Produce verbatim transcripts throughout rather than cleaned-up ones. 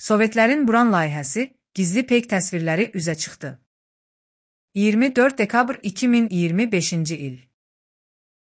Sovetlərin Buran layihəsi, gizli peyk təsvirləri üzə çıxdı. iyirmi dörd dekabr iki min iyirmi beşinci il.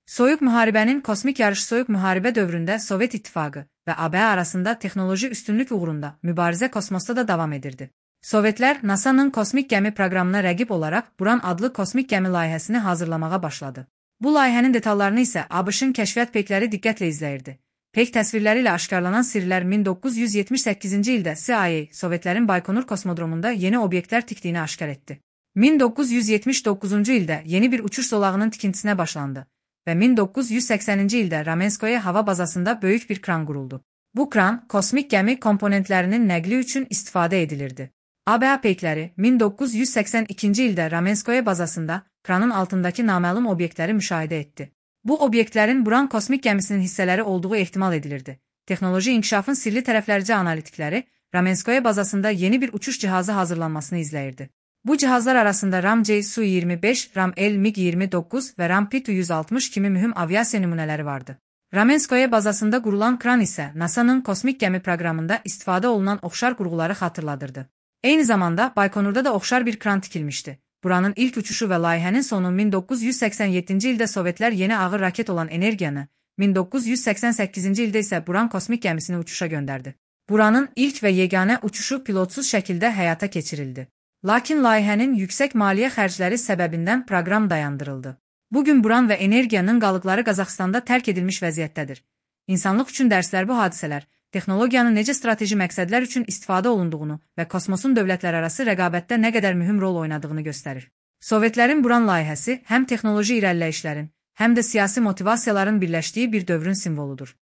Soyuq müharibənin kosmik yarışı soyuq müharibə dövründə Sovet İttifaqı və A B arasında texnoloji üstünlük uğrunda mübarizə kosmosda da davam edirdi. Sovetlər NASA'nın kosmik gəmi proqramına rəqib olaraq Buran adlı kosmik gəmi layihəsini hazırlamağa başladı. Bu layihənin detallarını isə ABŞ-ın kəşfiyyat peykləri diqqətlə izləyirdi. Peyk təsvirləri ilə aşkarlanan sirlər min doqquz yüz yetmiş səkkizinci ildə C I A Sovetlərin Baykonur kosmodromunda yeni obyektlər tikdiyini aşkar etdi. min doqquz yüz yetmiş doqquzuncu ildə yeni bir uçuş zolağının tikintisinə başlandı və min doqquz yüz səksəninci ildə Ramenskoye hava bazasında böyük bir kran quruldu. Bu kran, kosmik gəmi komponentlərinin nəqli üçün istifadə edilirdi. A B peykləri min doqquz yüz səksən ikinci ildə Ramenskoye bazasında kranın altındakı naməlum obyektləri müşahidə etdi. Bu obyektlərin Buran kosmik gəmisinin hissələri olduğu ehtimal edilirdi. Texnoloji inkişafın sirli tərəflərcə analitikləri Ramenskoye bazasında yeni bir uçuş cihazı hazırlanmasını izləyirdi. Bu cihazlar arasında RAM C Su iyirmi beş, RAM L MiG iyirmi doqquz və RAM P yüz altmış kimi mühüm aviasiya nümunələri vardı. Ramenskoye bazasında qurulan kran isə NASA'nın kosmik gəmi proqramında istifadə olunan oxşar qurğuları xatırladırdı. Eyni zamanda Baykonurda da oxşar bir kran tikilmişdi. Buranın ilk uçuşu və layihənin sonu min doqquz yüz səksən yeddinci ildə Sovetlər yeni ağır raket olan Energiyanı, min doqquz yüz səksən səkkizinci ildə isə Buran kosmik gəmisini uçuşa göndərdi. Buranın ilk və yeganə uçuşu pilotsuz şəkildə həyata keçirildi. Lakin layihənin yüksək maliyyə xərcləri səbəbindən proqram dayandırıldı. Bugün Buran və Energiyanın qalıqları Qazaxstanda tərk edilmiş vəziyyətdədir. İnsanlıq üçün dərslər bu hadisələr, texnologiyanın necə strateji məqsədlər üçün istifadə olunduğunu və kosmosun dövlətlərarası rəqabətdə nə qədər mühüm rol oynadığını göstərir. Sovetlərin Buran layihəsi həm texnoloji irəliləyişlərin, həm də siyasi motivasiyaların birləşdiyi bir dövrün simvoludur.